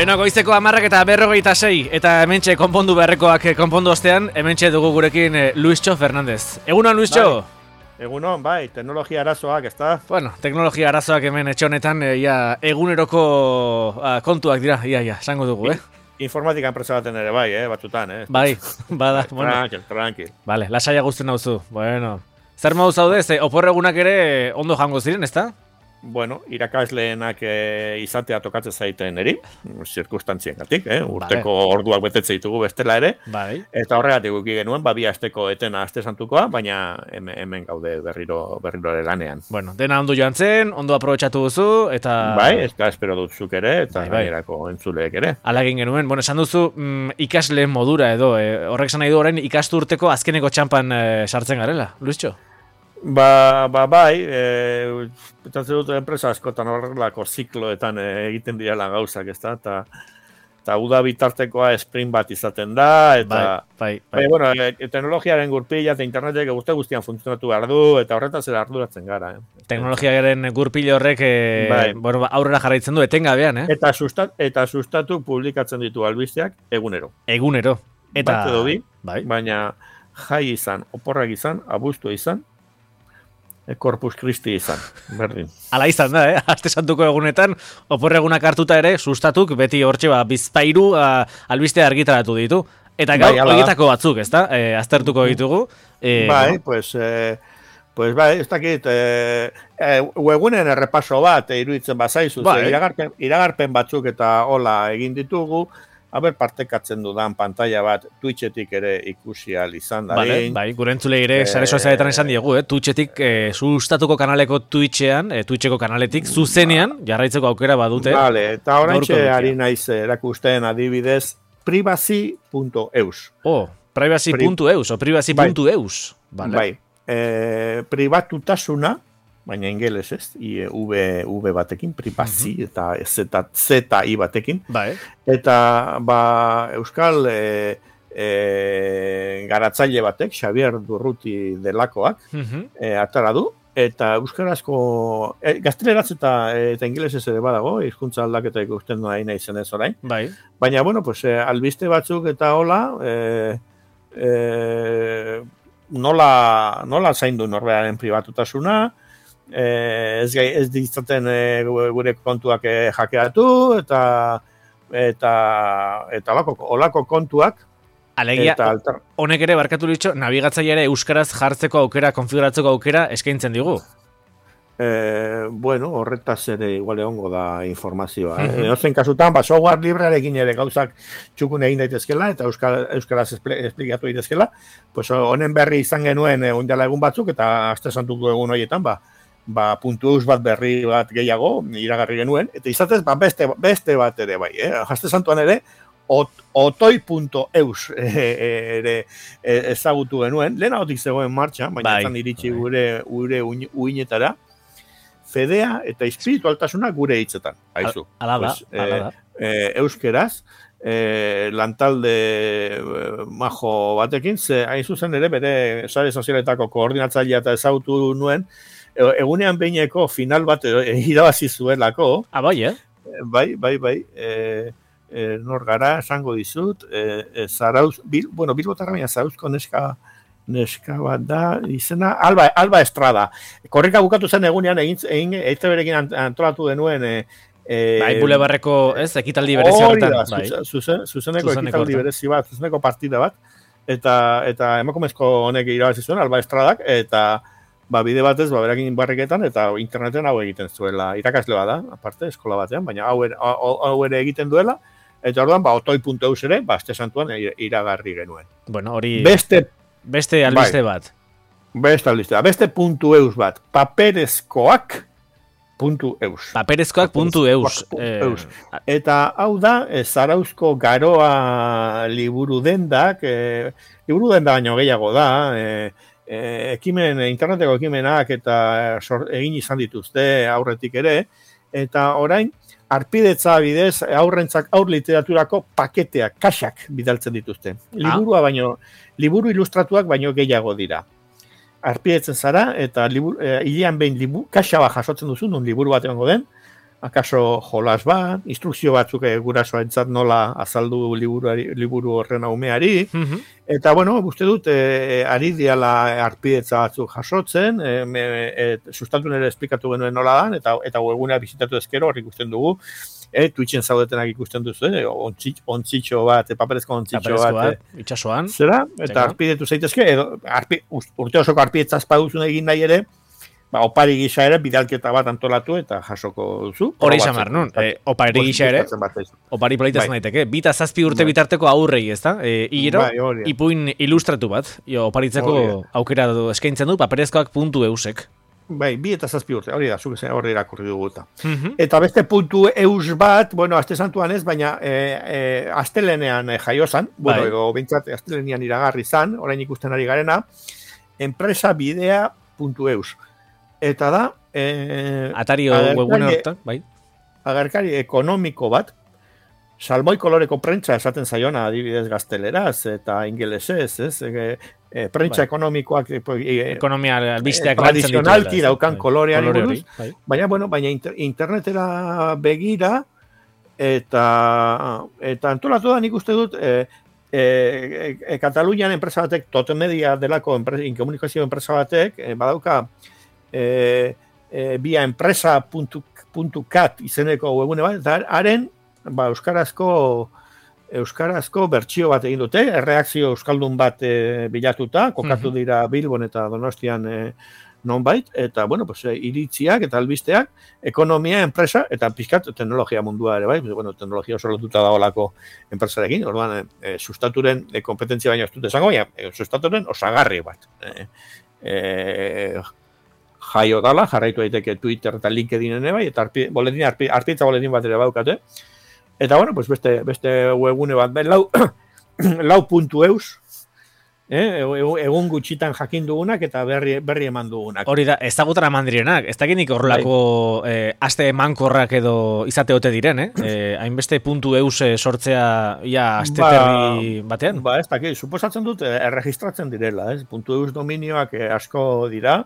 Beno, goizeko 10:46 eta hementxe konpondu beharrekoak konpondu ostean, hementxe dugu gurekin Luischo Fernandez. Egunon, Luischo? Egunon, bai, teknologia arazoak, ezta? Bueno, teknologia arazoak hemen etxe honetan eguneroko kontuak dira, esango dugu, Informatika enpresa baten ere bai, batzutan, Bai, bada, bueno. Tranquil. Vale, lasaia guztien nauzu, bueno. Zer modu zaude, oporregunak ere ondo jango ziren, ezta? Bueno, irakasleenak izatea tokatzen zaiten eri, zirkustantzien urteko orduak betetze ditugu bestela ere, bai. Eta horregatik guki genuen, bi asteko etena aste santukoa, baina hemen gaude berriro ere lanean. Bueno, dena ondo joan zen, ondo aprobetxatu duzu, eta... Bai, ez da espero dut zuk ere, eta gainerako entzuleek ere. Hala egin genuen, bueno, esan duzu ikasle modura edo, horrek esan nahi du orain ikasturteko azkeneko txampan sartzen garela, Luischo? Bai, pentsatzen dut enpresa askotan horrelako zikloetan egiten direla gauzak, ezta? Eta uda bitartekoa sprint bat izaten da, eta... Bai. Bueno, teknologiaren gurpila eta internetek guztian funtzionatu behar du, eta horretaz ere arduratzen gara, Teknologiaren gurpile horrek bueno, aurrera jarraitzen du etengabean, Eta sustatu publikatzen ditu albisteak egunero. Eta... Bat edo bi, baina jai izan, oporrak izan, abuztua izan, Corpus Christi izan, berdin. Hala izan da, Aste santuko egunetan, oporregunak hartuta ere, sustatuk, beti hortxe bizpairu albistea argitaratu ditu. Eta gau, horietako batzuk, ezta? Aztertuko ditugu. Bai, pues bai, ez dakit, webgunen errepaso bat, iruditzen bazaizu, iragarpen batzuk eta hola egin ditugu, partekatzen dudan pantalla bat Twitchetik ere ikusi ahal izan da. Bai, gure entzulei ere sare sozialetan esan diegu, Twitchetik sustatuko kanaleko Twitcheko kanaletik zuzenean jarraitzeko aukera badute. Vale, eta oraintxe ari naiz erakusten adibidez privacy.eus. Privacy.eus o privacy.eus. Bai, pribatutasuna, baina ingeles ez, V batekin, privacy, eta Z-I batekin. Bai. Eta, Euskal garatzaile batek, Xavier Durruti delakoak, atara du, eta euskarazko, gazteleratz eta ingelesez ere badago, hizkuntza aldaketa ikusten nahi zen ez orain. Bai. Baina, bueno, albiste batzuk eta hola, nola zaindu norberaren pribatutasuna, ez ditzaten gure kontuak hackeatu eta olako kontuak. Alegia, honek ere barkatu litxo, nabigatzaile ere euskaraz jartzeko aukera, konfiguratzeko aukera eskaintzen digu. Bueno, horretaz ere igual egongo da informazioa. Edozein kasutan, software librearekin ere gauzak txukun egin daitezkela eta euskaraz esplikatu daitezkela, honen berri izan genuen ondala egun batzuk eta aste santuko egun horietan, .eus bat berri bat gehiago iragarri genuen, eta izatez beste bat ere bai, Aste santuan ere otoi.eus ere ezagutu genuen, lehenagotik zegoen martxan, baina ezan iritsi gure uinetara, fedea eta espiritualtasuna gure hitzetan, haizu. Ala da. Euskeraz, lantalde majo batekin, hain zuzen ere bere sare sozialetako koordinatzailea eta ezagutu nuen, egunean behineko final bat irabazi zuelako. Bai, Bai. Nor gara, esango dizut, Bilbotarra baina Zarauzko neska bat da, izena, Alba Estrada. Korrika bukatu zen egunean, EITB-rekin antolatu denuen... Bulebarreko, ekitaldi berezi horretan. Zuzeneko ekitaldi berezi bat, zuzeneko partida bat, eta emakumezko honek irabazi zuen, Alba Estradak, eta... bide batez, berakin barriketan, eta interneten hau egiten zuela. Irakasle bada, aparte, eskola batean, baina hau ere egiten duela, eta orduan, otoi.eus ere, aste santuan iragarri genuen. Bueno, hori... Beste albiste bat. Beste albiste bat. Beste .eus bat. Paperezkoak.eus. Paperezkoak.eus. Eta hau da, Zarauzko garoa liburu dendak, liburu denda baino gehiago da, interneteko ekimenak eta egin izan dituzte aurretik ere, eta orain arpidetza bidez aurrentzak aur literaturako paketeak, kaxak bidaltzen dituzte. Liburu ilustratuak baino gehiago dira. Arpidetzen zara eta hilean behin kaxa bat jasotzen duzu, nun liburu bat egongo den, akaso jolas bat, instrukzio batzuk gurasoentzat nola azaldu liburu horren umeari, eta, bueno, uste dut, ari diala arpidetza batzuk jasotzen, sustatu nire esplikatu genuen nola dan, eta webgunea bizitatu ezkero hor ikusten dugu, Twitchen zaudetenak ikusten duzu, ontzitxo bat, paperezko ontzitxo bat, itxasoan, zera, eta arpidetu zaitezke, urte osoko arpidetzaz paduzun egin nahi ere, opari gisa ere bidalketa bat antolatu eta jasoko duzu. Hori izan behar, nun? Opari gisa ere, opari politazen daiteke. Bita zazpi urte bitarteko aurrei, ez da? Igero, ipuin ilustratu bat, oparitzeko aukera eskaintzen du, paperezkoak.eusek. Bai, 2 eta 7 urte, hori da, zuk esan horri irakurri dugu eta. Eta beste .eus bat, bueno, aste santuan ez, baina astelenean jaiozan, bueno, edo bintzat astelenean iragarri zan, orain ikusten ari garena, enpresabidea.eus. Eta da... Atario webune hortan, bai? Agerkari ekonomiko bat, salmoi koloreko prentsa esaten zaiona adibidez gazteleraz eta ingelesez, ez? Prentsa ekonomikoak ekonomia albisteak tradizionalki daukan kolorean buruz, baina internetera begira eta antolatu da nik uste dut Katalunian enpresa batek, Totemedia delako komunikazio enpresa batek, badauka via empresa.cat izeneko webune bat, eta haren euskarazko bertsio bat egin dute, erreakzio euskaldun bat bilatuta, kokatu dira Bilbon eta Donostian nonbait, eta, bueno, pues, iritziak eta albisteak, ekonomia, enpresa, eta pixkat teknologia mundua ere, bai, bueno, teknologia oso lotuta dagoelako enpresarekin, orduan, sustaturen kompetentzia baino ez dut esango, baina sustaturen osagarri bat. Jaio dala, jarraitu daiteke Twitter eta LinkedInen bai, eta arpitza boletin bat ere baukate. Eta, bueno, pues beste webgune bat, lau.eus, egun gutxitan jakin dugunak eta berri eman dugunak. Hori da, ezagutan eman direnak, ez dakinik horrelako aste emankorrak edo izateote diren, hainbeste .eus sortzea ia asteterri batean? Ez dakit, suposatzen dut erregistratzen direla, .eus dominioak asko dira,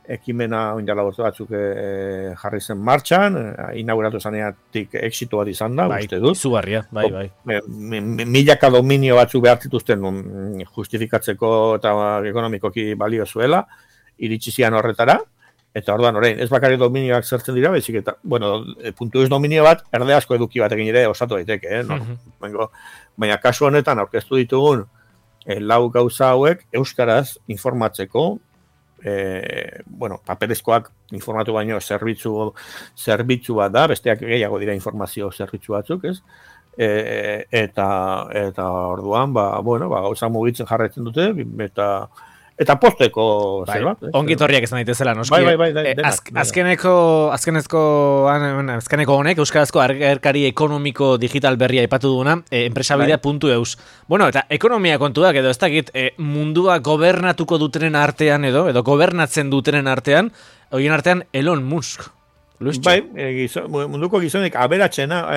ekimena oindala bortu batzuk jarri zen martxan, inauguratu zaneatik exito bat izan da, uste dut. Izugarria, bai. Milaka dominio batzuk behar zituzten justifikatzeko eta ekonomikoki balio zuela, iritsi zian horretara, eta orduan orain, ez bakarrik dominioak zertzen dira, bezik eta, bueno, .eus dominio bat, erdeazko eduki batekin ere osatu daiteke, baina kasu honetan aurkeztu ditugun lau gauza hauek euskaraz informatzeko, paperezkoak informatu baino zerbitzu bat da, besteak gehiago dira informazio zerbitzu batzuk, ez? Eta orduan, gauza mugitzen jarraitzen dute, eta posteko zerbait. Ongitorriak izan daitezela, noski. Azkeneko honek, euskarazko agerkari ekonomiko digital berria aipatu duguna, enpresabidea.eus. Bueno, eta ekonomia kontuak edo ez dakit, mundua gobernatuko dutenen artean edo gobernatzen dutenen artean, horien artean Elon Musk. Bai, munduko gizonek aberatxena.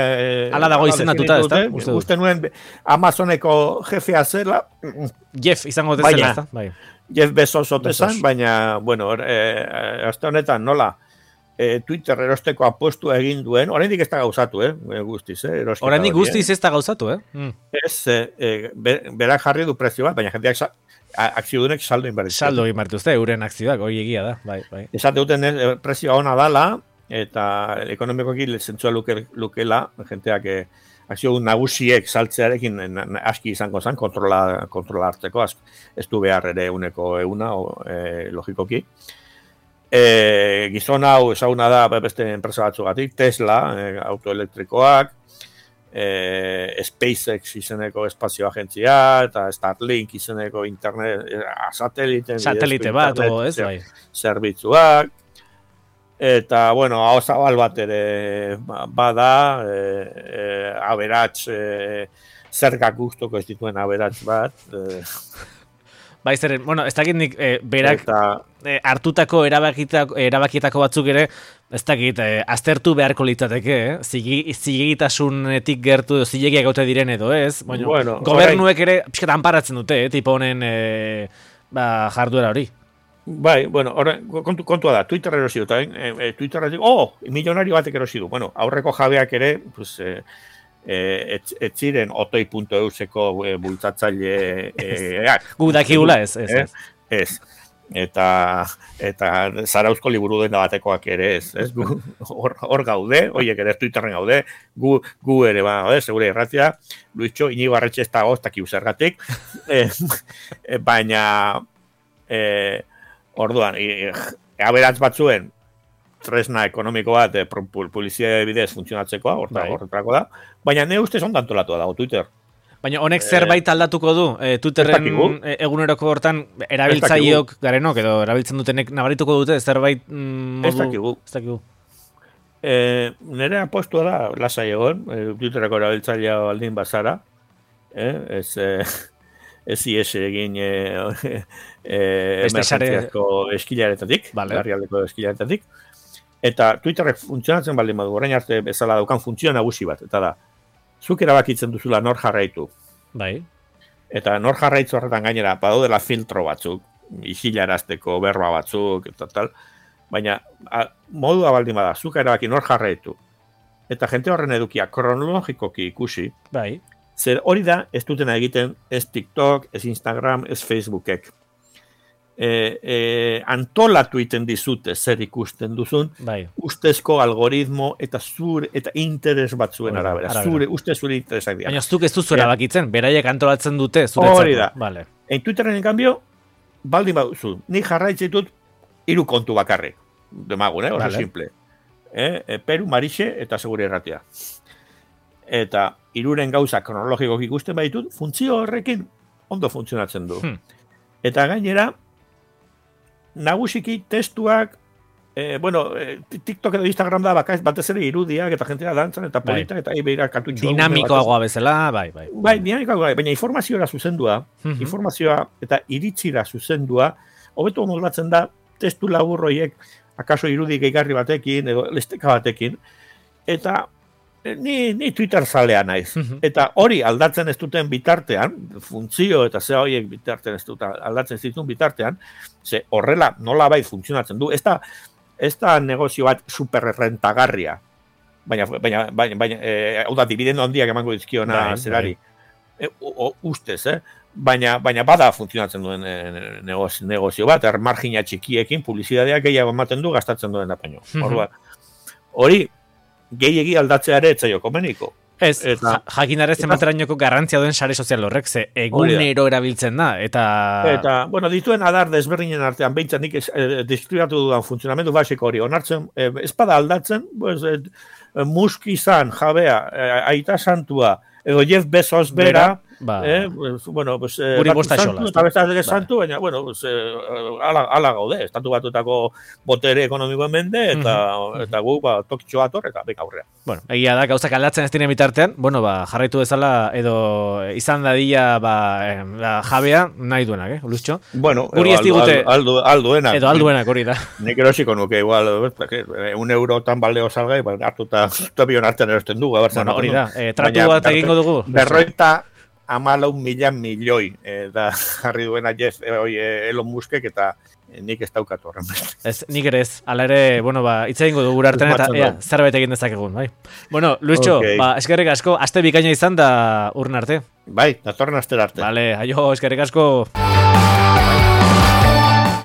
Ala dago izendatuta, ez da? Uste nuen Amazoneko jefea zela. Jeff izango dezela, ez da? Bai. Jeff Bezos otesan, baina, bueno, azte honetan nola Twitter erosteko apostu egin duen, oraindik ez da gauzatu, guztiz, oraindik guztiz ez da gauzatu, Ez, berak jarri du prezio bat, baina jendeak akziodunek saldo inberditu. Saldo inberditu, euren akzioak, hori egia da, bai. Esate duten prezioa ona dala, eta ekonomikoki zentzua lukela, jenteak akzio nagusiek saltzearekin aski izango zen, kontrola hartzeko, ez du behar ere uneko euna, logikoki. Gizon hau ezaguna da beste enpresa batzugatik, Tesla, autoelektrikoak, SpaceX izeneko espazio agentzia, eta Starlink izeneko internet, satelite bat, ez bai. Zerbitzuak, eta, bueno, hau zabal bat ere bada, aberats, zergak guztoko ez dituen aberats bat. Bai, zeren, bueno, ez dakit nik berak hartutako erabakietako batzuk ere, ez dakit, aztertu beharko litzateke, zilegitasunetik gertu, zilegiak gaute diren edo ez, gobernuek ere pixkat anparatzen dute, tipo honen jarduera hori. Bai, bueno, kontua da, Twitter erosi dut, Twitterra milionario batek erosi du. Bueno, aurreko jabeak ere, pues, ez ziren otoi.euseko bultzatzaile Gu dakigula ez. Ez. Eta Zarauzko liburu dena batekoak ere ez. Hor gaude, horiek ere Twitterren gaude, gu ere gaude, segure irratia, Luitxo, Inigo Arretxe ez dago, ez dakiu zergatik, baina orduan, aberantz batzuen tresna ekonomiko bat publizitate bidez funtzionatzekoa, horretarako da, baina ne ustez ondo antolatua dago Twitter. Baina honek zerbait aldatuko du? Twitterren eguneroko hortan erabiltzaileok garenok edo erabiltzen dutenek nabarituko dute zerbait modu? Ez dakigu. Nire apostua da, lasai egon, Twitterreko erabiltzailea baldin bazara, ez ies egin emergentziazko eskilaretatik, larrialdeko eskilaretatik, eta Twitterrek funtzionatzen baldin badu, orain arte bezala daukan funtzio nagusi bat, eta da, zuk erabakitzen duzula nor jarraitu. Bai. Eta nor jarraitzu horretan gainera, badaudela filtro batzuk, isilarazteko berba batzuk, eta tal, baina modua baldin bada, zuk erabaki nor jarraitu. Eta jente horren edukia kronologikoki ikusi, bai. Zer hori da, ez dutena egiten, ez TikTok, ez Instagram, ez Facebookek. Antolatu iten dizute zer ikusten duzun, bai. Ustezko algoritmo eta interes batzuen arabera. Zure interesak dira. Baina zuk ez duzu erabakitzen, beraiek antolatzen dute zuretzako. Hori da. Vale. Twitterren, en cambio, baldin baduzu, ni jarraitzen ditut 3 kontu bakarrik. Demagun, oso simple. Peru, Marixe eta Segure Irratia. Eta 3 gauza kronologikoak ikusten baditut, funtzio horrekin ondo funtzionatzen du. Eta gainera, nagusiki testuak, TikTok edo Instagram da batez ere irudiak eta jentea dantzan eta politak eta beira kartutxo. Dinamikoagoa bezala, bai. Bai, dinamikoagoa, baina informazioa zuzendua, informazioa eta iritzira zuzendua, hobeto moldatzen da testu laburroiek akaso irudi gehigarri batekin edo lesteka batekin, eta ni Twitter zalea naiz. Eta hori aldatzen ez duten bitartean, funtzio eta ze horiek bitartean ez duten aldatzen ez dituen bitartean, ze horrela nolabait funtzionatzen du. Ez da negozio bat superrentagarria, baina hau da, dividendo handiak emango dizkiona zerari. Ustez, baina bada funtzionatzen duen negozio bat, margina txikiekin, publizitateak gehiago ematen du, gastatzen duen da baino. Hori, gehiegi aldatzeare etzaio komeniko. Ez, jakinarez ematerainoko garrantzia duen sare sozial horrek, ze egunero erabiltzen da, eta... bueno, dituen adar desberdinen artean, behintzen nik deskribatu dudan funtzionamendu basiko hori, onartzen, espada aldatzen, Musk izan, jabea, Aita Santua, edo Jeff Bezos bera, guri bosta xola. Eta besta santu, baina, ala gaude, estatu batutako botere ekonomikoen mende, eta gu, tokitxo ator, eta beka aurrea. Bueno, egia da, gauzak aldatzen ez diren bitartean, jarraitu bezala, edo izan dadila, jabea, nahi duenak, Luztxo? Bueno, guri ez digute... Alduenak. Edo alduenak, hori da. Nik erosiko nuke, igual, 1 eurotan baldeo salgai, hartuta, tobion artean erosten dugu, hori da, tratu bat egingo dugu. 14 milioi da jarri duena Jeff Elon Muskek eta nik ez daukat horren. Ez, nik ere ez. Hala ere, hitz egingo dugu artean eta zerbait egin dezakegun, bai. Bueno, Luischo, eskerrik asko, aste bikaina izan da urren arte. Bai, datorren astera arte. Vale, aio, eskerrik asko.